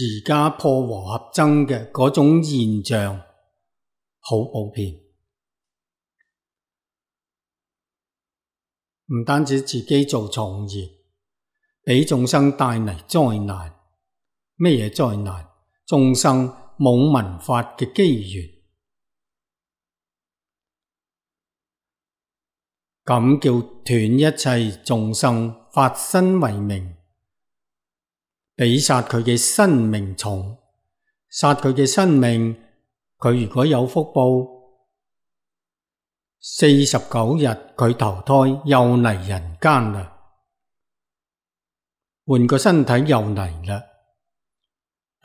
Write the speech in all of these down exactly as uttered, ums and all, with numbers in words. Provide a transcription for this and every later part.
而家破和合僧嘅嗰種現象好普遍，唔單止自己做從業，俾眾生帶嚟災難。咩嘢災難？眾生冇聞法嘅機緣，咁叫斷一切眾生法身為名，比殺佢嘅生命重。殺佢嘅生命，佢如果有福報，四十九日佢投胎又嚟人間啦，換個身體又嚟啦。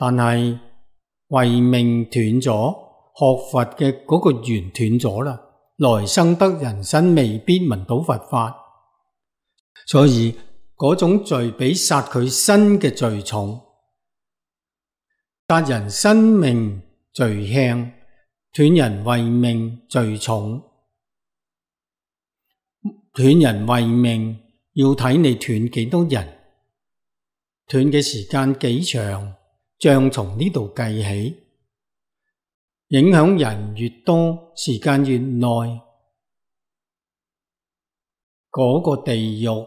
但係慧命斷咗，學佛嘅嗰個緣斷咗啦，來生得人身未必聞到佛法，所以嗰種罪比殺佢身嘅罪重。殺人生命罪輕，斷人慧命罪重。斷人慧命要睇你斷幾多人，斷嘅時間幾長，像從呢度計起，影響人越多，時間越耐，嗰個地獄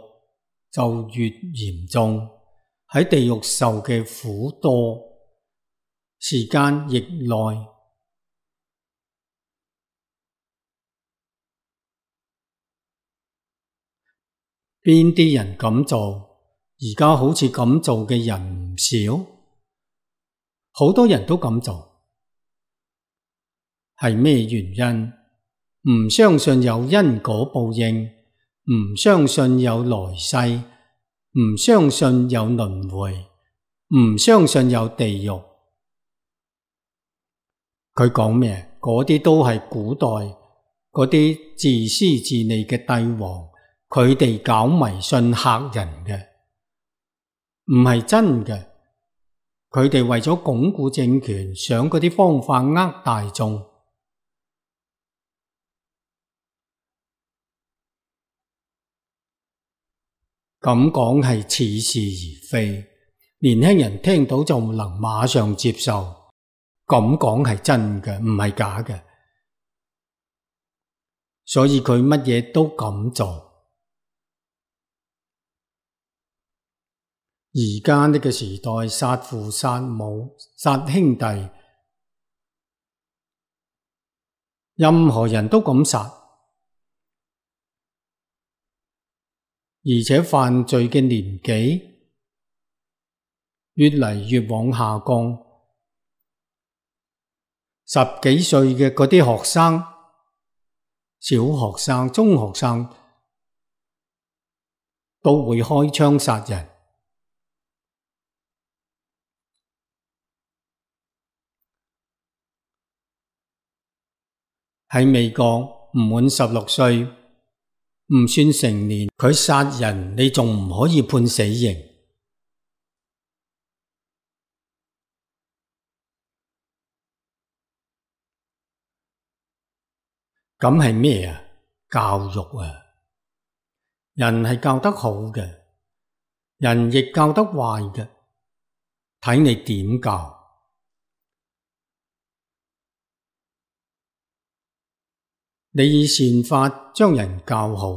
就越嚴重，喺地獄受嘅苦多，時間亦耐。邊啲人咁做？而家好似咁做嘅人唔少，好多人都咁做，係咩原因？唔相信有因果報應，唔相信有來世，唔相信有輪迴，唔相信有地獄。佢講咩？嗰啲都係古代嗰啲自私自利嘅帝王，佢哋搞迷信嚇人嘅，唔係真嘅。佢哋為咗鞏固政權，想嗰啲方法呃大眾。咁講係似是而非，年輕人聽到就能馬上接受。咁講係真嘅，唔係假嘅，所以佢乜嘢都咁做。而家呢個時代，殺父殺母殺兄弟，任何人都咁殺，而且犯罪嘅年紀越嚟越往下降。十幾歲嘅嗰啲學生，小學生、中學生都會開槍殺人。喺美國，唔滿十六歲唔算成年，佢殺人你仲唔可以判死刑。咁係咩啊？教育啊！人係教得好嘅，人亦教得壞嘅，睇你點教。你以善法將人教好，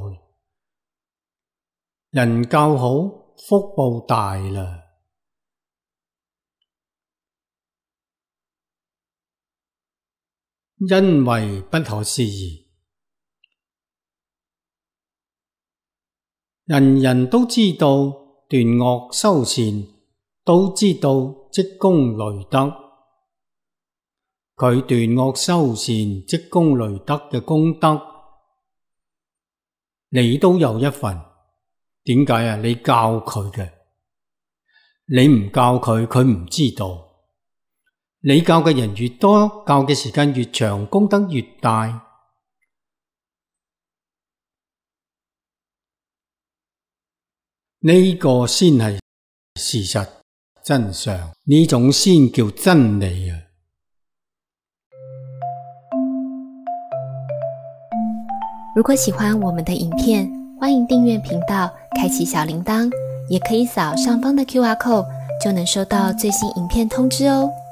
人教好，福報大啦。因為不可思議，人人都知道斷惡修善，都知道積功累德。佢斷惡修善、積功累德嘅功德，你都有一份。點解啊？你教佢嘅，你唔教佢，佢唔知道。你教嘅人越多，教嘅時間越長，功德越大。呢個先係事實真相，呢種先叫真理啊！如果喜歡我們的影片，歡迎訂閱頻道，開啟小鈴鐺，也可以掃上方的 Q R code 就能收到最新影片通知哦。